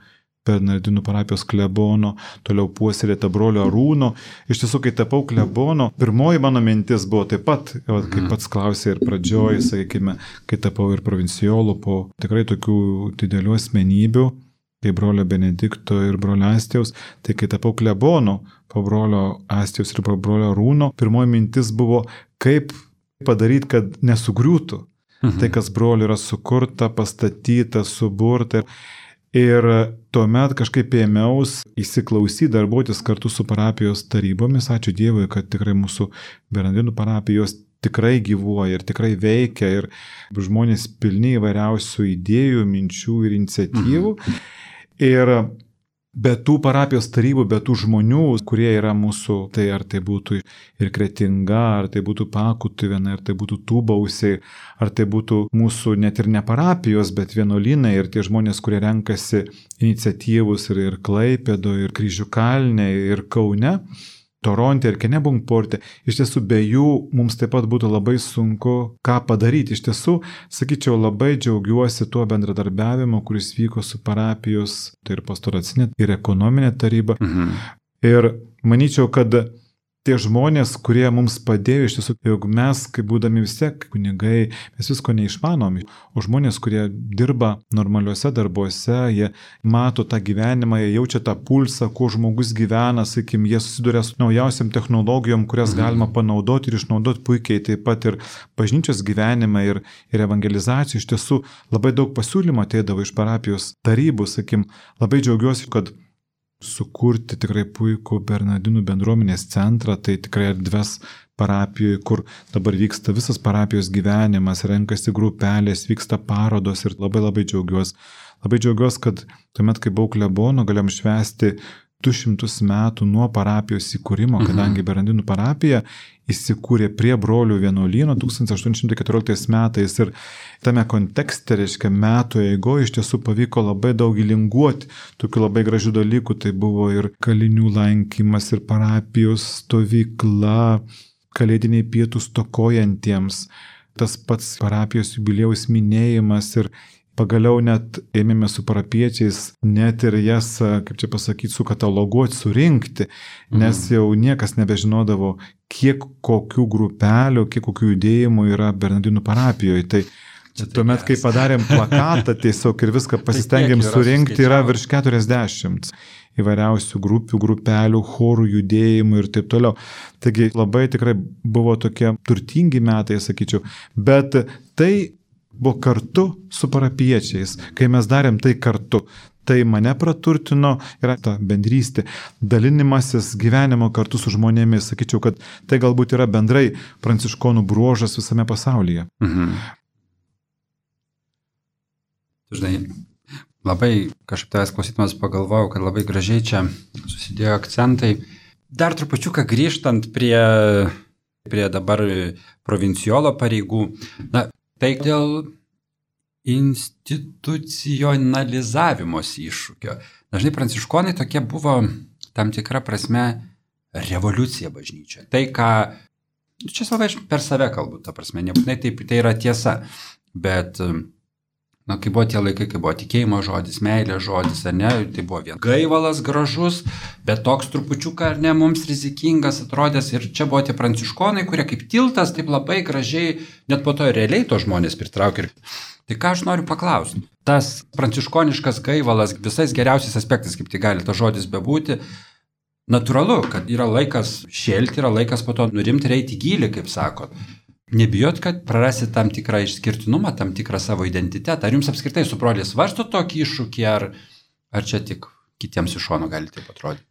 Bernardinų parapijos klebono, toliau puoselėta brolio Arūno. Iš tiesų, kai tapau klebono, pirmoji mano mintis buvo taip pat, kaip pats klausė ir pradžioj, sakykime, kai tapau ir provincijolu po tikrai tokių didelių asmenybių, kaip brolio Benedikto ir brolio Astijaus, tai kai tapau klebonu po brolio Astijaus ir po brolio Arūno, pirmoji mintis buvo, kaip padaryti, kad nesugriūtų. Mhm. Tai, kas brolių yra sukurta, pastatyta, suburta. Ir tuomet kažkaip ėmiaus įsiklausyti, darbuotis kartu su parapijos tarybomis. Ačiū Dievui, kad tikrai mūsų Bernardinų parapijos tikrai gyvuoja ir tikrai veikia ir žmonės pilni įvairiausių idėjų, minčių ir iniciatyvų. Mhm. Ir be tų parapijos tarybų, be tų žmonių, kurie yra mūsų, tai ar tai būtų ir Kretinga, ar tai būtų Pakutuvėnai, ar tai būtų Tūbausiai, ar tai būtų mūsų net ir ne parapijos, bet vienuolynai ir tie žmonės, kurie renkasi iniciatyvus ir, ir Klaipėdoje, ir Kryžių kalne, ir Kaune, Toronte ir Kennebunkporte, iš tiesų be jų mums taip pat būtų labai sunku ką padaryti. Iš tiesų, sakyčiau, labai džiaugiuosi tuo bendradarbiavimu, kuris vyko su parapijos, tai ir pastoracinė, ir ekonominė taryba. Mhm. Ir manyčiau, kad tie žmonės, kurie mums padėjo, iš tiesų, jog mes, kaip būdami vis tiek kunigai, mes visko neišmanom, o žmonės, kurie dirba normaliuose darbuose, jie mato tą gyvenimą, jie jaučia tą pulsą, kuo žmogus gyvena, sakykim, jie susiduria su naujausiam technologijom, kurias galima panaudoti ir išnaudoti puikiai, taip pat ir bažnyčios gyvenimą ir, ir evangelizacijų. Iš tiesų, labai daug pasiūlymų ateidavo iš parapijos tarybų, sakykim, labai džiaugiuosi, kad sukurti tikrai puikų Bernardinų bendruomenės centrą, tai tikrai erdves parapijoje, kur dabar vyksta visas parapijos gyvenimas, renkasi grupelės, vyksta parodos ir labai labai džiaugiuosi. Labai džiaugiuosi, kad tuomet, kai buvau klebonu, galėjom švęsti du šimtus metų nuo parapijos įkūrimo, kadangi Bernardinų parapija įsikūrė prie brolių vienuolyno tūkstantis aštuoni šimtai keturioliktais metais ir tame kontekste, reiškia, metų eigoje iš tiesų pavyko labai daug įlinguoti tokių labai gražių dalykų. Tai buvo ir kalinių lankymas, ir parapijos stovykla, kalėdiniai pietų stokojantiems, tas pats parapijos jubiliejaus minėjimas ir pagaliau net ėmėme su parapiečiais net ir jas, kaip čia pasakyti, sukataloguoti, surinkti, nes jau niekas nebežinodavo, kiek kokių grupelių, kiek kokių judėjimų yra Bernardinų parapijoje. Tai tuomet, kai padarėm plakatą tiesiog ir viską pasistengėm surinkti, yra virš keturiasdešimt įvairiausių grupių, grupelių, chorų, judėjimų ir taip toliau. Taigi labai tikrai buvo tokie turtingi metai, sakyčiau, bet tai buvo kartu su parapiečiais, kai mes darėm tai kartu. Tai mane praturtino, yra ta bendrystė, dalinimasis gyvenimo kartu su žmonėmis. Sakyčiau, kad tai galbūt yra bendrai pranciškonų bruožas visame pasaulyje. Mhm. Žinai, labai kažkaip tavęs klausydamas pagalvojau, kad labai gražiai čia susidėjo akcentai. Dar trupučiuką grįžtant prie, prie dabar provincijolo pareigų. Na, tai dėl institucionalizavimosi iššūkio. Dažnai pranciškonai tokie buvo tam tikra prasme revoliucija bažnyčia. Tai, ką, čia savai per save kalbu, ta prasme, nebūtinai taip, tai yra tiesa, bet, na, kai buvo tie laikai, kai buvo tikėjimo žodis, meilė žodis, ar ne, tai buvo vien gaivalas gražus, bet toks trupučiuką, ar ne, mums rizikingas atrodęs, ir čia buvo tie pranciškonai, kurie kaip tiltas, taip labai gražiai, net po to realiai to žmonės pritraukė. Tai ką aš noriu paklausti, tas pranciškoniškas gaivalas visais geriausiais aspektais, kaip tai gali tas žodis bebūti, natūralu, kad yra laikas šėlti, yra laikas po to nurimti ir eiti į gylį, kaip sakot. Nebijot, kad prarasit tam tikrą išskirtinumą, tam tikrą savo identitetą. Ar jums apskritai su broliais svarsto tokį iššūkį, ar, ar čia tik kitiems iš šono gali taip atrodyti?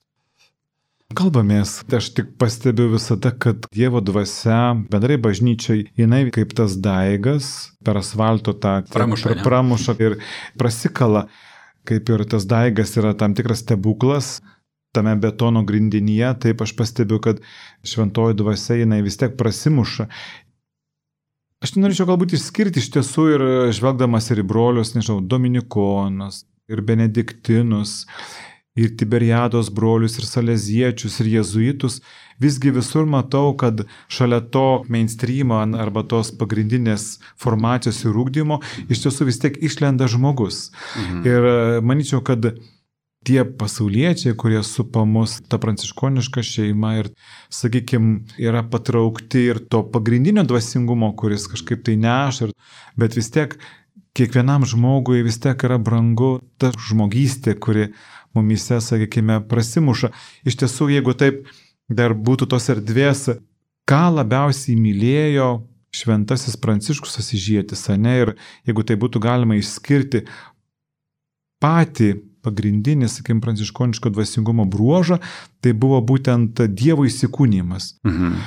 Kalbamės, aš tik pastebiu visada, kad Dievo dvasia, bendrai bažnyčiai, jinai kaip tas daigas per asfalto tą pramuša, pramuša ir prasikala, kaip ir tas daigas yra tam tikras stebuklas tame betono grindinyje, taip aš pastebiu, kad šventoji dvasia jinai vis tiek prasimuša. Aš norėčiau galbūt išskirti iš tiesų ir žvelgdamas ir į brolius, nežinau, Dominikonus ir Benediktinus ir Tiberiados brolius, ir saleziečius, ir jezuitus, visgi visur matau, kad šalia to mainstreamo arba tos pagrindinės formacijos ir ūkdymo iš tiesų vis tiek išlenda žmogus. Mhm. Ir manyčiau, kad tie pasauliečiai, kurie supa mus, ta pranciškoniška šeima ir, sakykime, yra patraukti ir to pagrindinio dvasingumo, kuris kažkaip tai neša, bet vis tiek kiekvienam žmogui vis tiek yra brangu ta žmogystė, kuri mumise, sakykime, prasimuša. Iš tiesų, jeigu taip dar būtų tos erdvės, ką labiausiai mylėjo šventasis Pranciškus Asyžietis, ane, ir jeigu tai būtų galima išskirti patį pagrindinį, sakykime, pranciškoniško dvasingumo bruožą, tai buvo būtent Dievo įsikūnijimas. Mhm.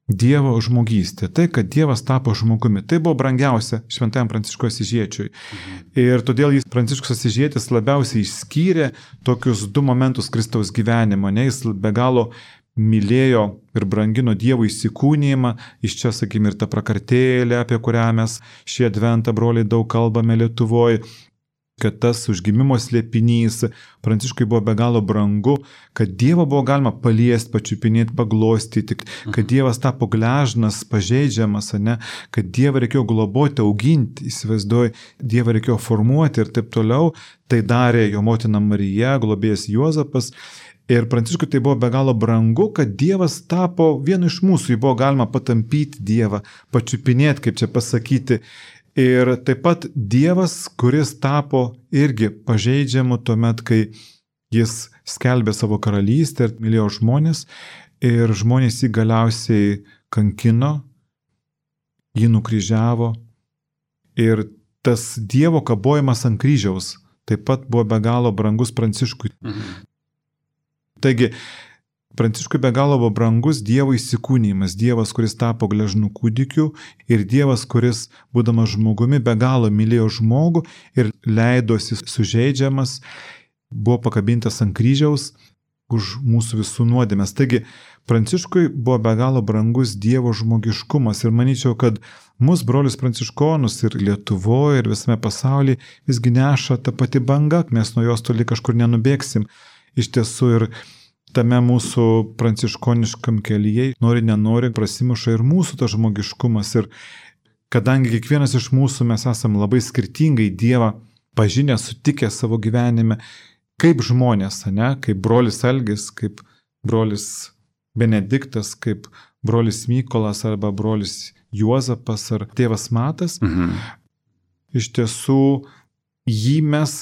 Dievo žmogystė. Tai, kad Dievas tapo žmogumi. Tai buvo brangiausia šventajam Pranciškui Asyžiečiui. Mhm. Ir todėl jis, Pranciškus Asyžietis, labiausiai išskyrė tokius du momentus Kristaus gyvenimo. Ne, jis be galo mylėjo ir brangino Dievo įsikūnijimą. Iš čia, sakykime, ir ta prakartėlė, apie kurią mes šį adventą, broliai, daug kalbame Lietuvoje, kad tas užgimimo slėpinys Pranciškui buvo be galo brangu, kad Dievą buvo galima paliesti, pačiupinėti, paglostyti, kad Dievas tapo gležnas, pažeidžiamas, ne? Kad Dievą reikėjo globoti, auginti, įsivaizduoju, Dievą reikėjo formuoti ir taip toliau. Tai darė jo motina Marija, globėjas Juozapas. Ir Pranciškui tai buvo be galo brangu, kad Dievas tapo vienu iš mūsų, jį buvo galima patampyti Dievą, pačiupinėti, kaip čia pasakyti. Ir taip pat Dievas, kuris tapo irgi pažeidžiamu tuomet, kai jis skelbė savo karalystę ir mylėjo žmonės, ir žmonės jį galiausiai kankino, jį nukryžiavo. Ir tas Dievo kabojimas ant kryžiaus taip pat buvo be galo brangus Pranciškui. Mhm. Taigi, Pranciškui be galo buvo brangus Dievo įsikūnijimas, Dievas, kuris tapo gležnų kūdikiu ir Dievas, kuris, būdamas žmogumi, be galo mylėjo žmogų ir leidosi sužeidžiamas, buvo pakabintas ant kryžiaus už mūsų visų nuodėmes. Taigi, Pranciškui buvo be galo brangus Dievo žmogiškumas ir manyčiau, kad mūsų brolius pranciškonus ir Lietuvoje ir visame pasaulyje visgi neša ta pati banga, mes nuo jos toli kažkur nenubėgsim. Iš tiesų ir tame mūsų pranciškoniškam kelyje, nori nenori, prasimuša ir mūsų tas žmogiškumas. Ir kadangi kiekvienas iš mūsų mes esame labai skirtingai Dievą pažinę, sutikę savo gyvenime, kaip žmonės, ne? Kaip brolis Algis, kaip brolis Benediktas, kaip brolis Mykolas arba brolis Juozapas ar tėvas Matas, mhm. Iš tiesų jį mes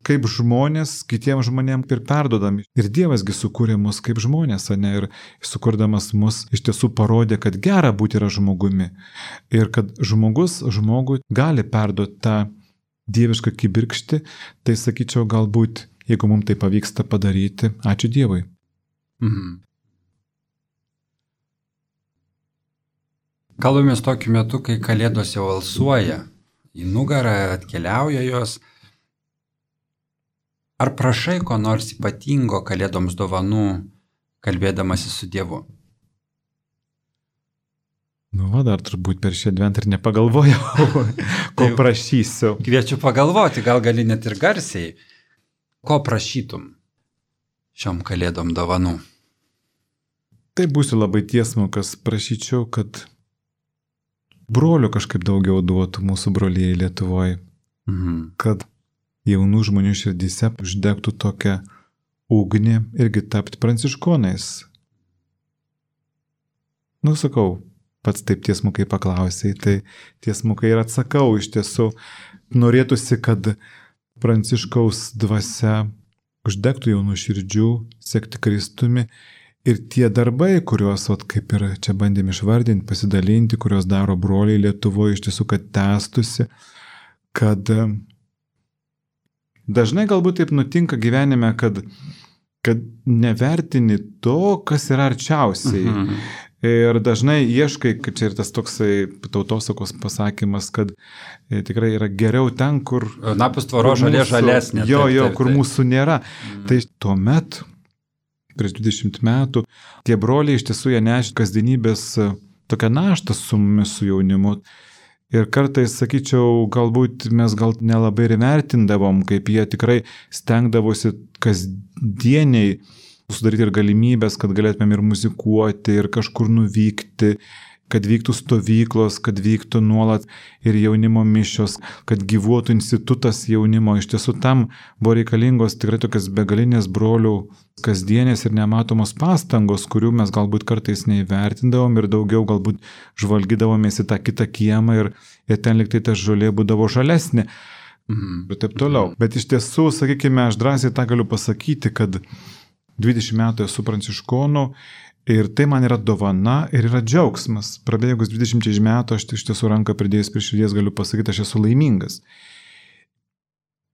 kaip žmonės kitiems žmonėms ir perdodami. Ir Dievasgi sukūrė mus kaip žmonės, ne? Ir sukurdamas mus iš tiesų parodė, kad gera būti yra žmogumi. Ir kad žmogus žmogui gali perduoti tą dievišką kibirkštį, tai sakyčiau, galbūt, jeigu mums tai pavyksta padaryti, ačiū Dievui. Mhm. Kalbamės tokiu metu, kai kalėdos jau alsuoja, į nugarą atkeliauja jos. Ar prašai ko nors ypatingo kalėdoms dovanų, kalbėdamasi su Dievu? Nu, va, dar turbūt per šį adventą ir nepagalvojau, ko prašysiu. Kviečiu pagalvoti, gal gali net ir garsiai. Ko prašytum šiom kalėdom dovanų? Tai būsiu labai tiesmukas, prašyčiau, kad brolių kažkaip daugiau duotų mūsų brolijai Lietuvoje. Mhm. Kad jaunų žmonių širdyse uždegtų tokią ugnį irgi tapti pranciškonais. Nu, sakau, pats taip tiesmukai paklausai, tai tiesmukai ir atsakau. Iš tiesų, norėtųsi, kad Pranciškaus dvasia uždegtų jaunų širdžių, sekti Kristumi ir tie darbai, kuriuos, ot, kaip ir čia bandėm išvardinti, pasidalinti, kuriuos daro broliai Lietuvoje, iš tiesų, kad tęstusi, kad dažnai galbūt taip nutinka gyvenime, kad, kad nevertini to, kas yra arčiausiai. Mhm. Ir dažnai ieškai, kad čia ir tas toksai tautosakos pasakymas, kad e, tikrai yra geriau ten, kur... Napus tvoro žalė žalesnė. Jo, jo, kur mūsų nėra. Mhm. Tai tuomet, prieš dvidešimt metų, tie broliai iš tiesų jie nešė kasdienybės tokią naštą su mumis, su jaunimu. Ir kartais, sakyčiau, galbūt mes gal nelabai ir vertindavom, kaip jie tikrai stengdavosi kasdieniai sudaryti ir galimybės, kad galėtumėm ir muzikuoti, ir kažkur nuvykti, kad vyktų stovyklos, kad vyktų nuolat ir jaunimo mišios, kad gyvuotų institutas jaunimo. Iš tiesų tam buvo reikalingos tikrai tokias begalinės brolių kasdienės ir nematomos pastangos, kurių mes galbūt kartais neįvertindavom ir daugiau galbūt žvalgydavomės į tą kitą kiemą ir, ir ten liktai ta žolė būdavo žalesnė. Mhm. Ir taip toliau. Bet iš tiesų, sakykime, aš drąsiai tą galiu pasakyti, kad dvidešimt metų esu pranciškonu. Ir tai man yra dovana ir yra džiaugsmas. Prabėgus dvidešimt metų aš iš tiesų ranką pridėjus prie širdies galiu pasakyti, aš esu laimingas.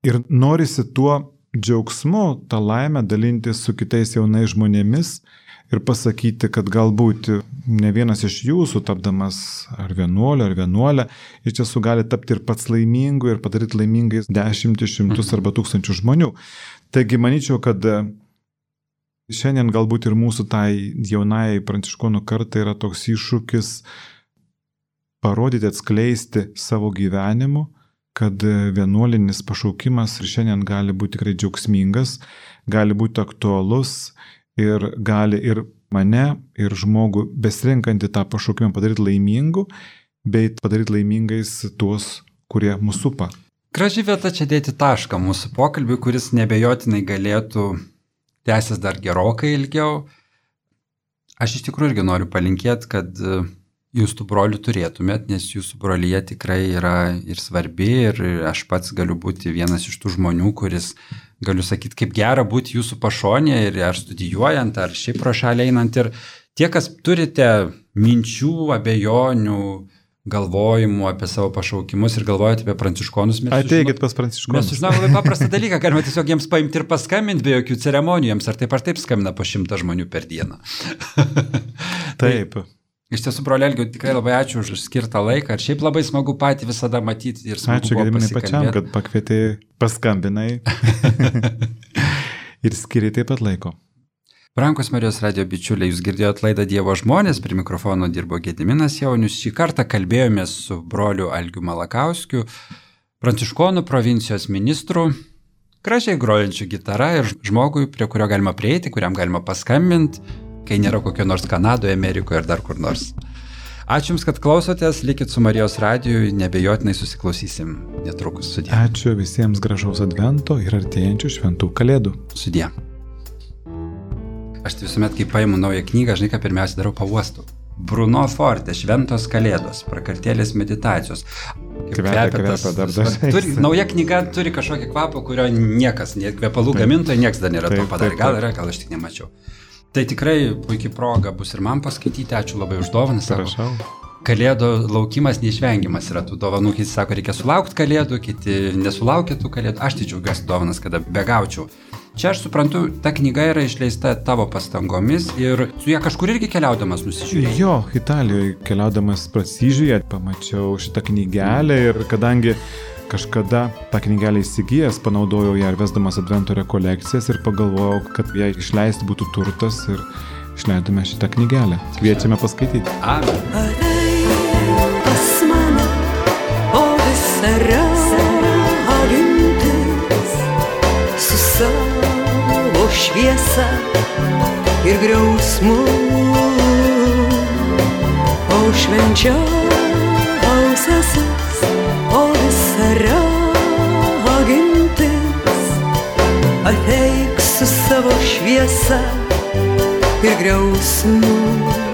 Ir norisi tuo džiaugsmu, tą laimę dalintis su kitais jaunais žmonėmis ir pasakyti, kad galbūt ne vienas iš jūsų, tapdamas ar vienuolio, ar vienuolę, iš tiesų gali tapti ir pats laimingu ir padaryti laimingais dešimtis, šimtus arba tūkstančių žmonių. Taigi manyčiau, kad šiandien galbūt ir mūsų tai jaunai pranciškonų kartai yra toks iššūkis parodyti, atskleisti savo gyvenimu, kad vienuolinis pašaukimas ir šiandien gali būti tikrai džiaugsmingas, gali būti aktualus ir gali ir mane, ir žmogų besirinkantį tą pašaukimą padaryti laimingu, bei padaryti laimingais tuos, kurie mūsų supa. Graži vieta čia dėti tašką mūsų pokalbį, kuris nebejotinai galėtų tęsis dar gerokai ilgiau. Aš iš tikrųjų irgi noriu palinkėti, kad jūs tų brolių turėtumėt, nes jūsų brolyje tikrai yra ir svarbi ir aš pats galiu būti vienas iš tų žmonių, kuris galiu sakyti, kaip gera būti jūsų pašonėje ir ar studijuojant, ar šiaip pro šalį einant. Ir tie, kas turite minčių, abejonių, galvojimų apie savo pašaukimus ir galvojate apie pranciškonus. Ateikit pas pranciškonus. Mes sužinome labai paprastą dalyką, galime tiesiog jiems paimti ir paskambinti be jokių ceremonijų, jiems ar taip ar taip skambina po šimtą žmonių per dieną. Taip. Tai, iš tiesų, broli Algiu, tikrai labai ačiū už skirtą laiką ir šiaip labai smagu patį visada matyti ir smagu ačiū, buvo pasikalbėti. Ačiū pačiam, kad pakvietė, paskambinai ir skiriai taip pat laiko. Brangus Marijos radijo bičiuliai, jūs girdėjot laidą Dievo žmonės, prie mikrofono dirbo Gediminas Jaunius. Šį kartą kalbėjomės su broliu Algiu Malakauskiu, pranciškonų provincijos ministru, gražiai grojančiu gitarą ir žmogui, prie kurio galima prieiti, kuriam galima paskambinti, kai nėra kokio nors Kanadoje, Amerikoje ar dar kur nors. Ačiū Jums, kad klausotės, likit su Marijos radiju, nebejotinai susiklausysim netrukus. Sudie. Ačiū visiems gražaus advento ir artėjančių šventų kalėdų. Sudie. Aš tai visuomet, kai paimu naują knygą, žinai, ką pirmiausia darau, pauostu. Bruno Forte, Šventos kalėdos, prakartėlės meditacijos. Kvepia, kvepia, dar dažnai. Turi, nauja knyga turi kažkokį kvapą, kurio niekas, net kvepalų gamintojai, niekas dar nėra taip, to padarę. taip, Gal taip. yra, gal aš tik nemačiau. Tai tikrai puikiai proga bus ir man paskaityti. Ačiū labai už dovaną. Prašau. Kalėdų laukimas neišvengiamas yra tų dovanų. Kiti sako, reikia sulaukti kalėdų, kiti nesulaukia tų kalėdų. Aš tai džiaugiuosi dovanas, kada begaučiau. Čia aš suprantu, ta knyga yra išleista tavo pastangomis ir su ją kažkur irgi keliaudamas nusižiūrėjai. Jo, Italijoje keliaudamas prasižiūrėjau, pamačiau šitą knygelę ir kadangi kažkada tą knygelę įsigijęs, panaudojau ją ir vesdamas advento rekolekcijas ir pagalvojau, kad ją išleisti būtų turtas ir išleidome šitą knygelę. Kviečiame paskaityti. Amen. Ateik pas mane, o visara avintis su savo šviesa ir griausmu, o švenčiausiasis, o visara avintis, ateik su savo šviesa ir griausmu.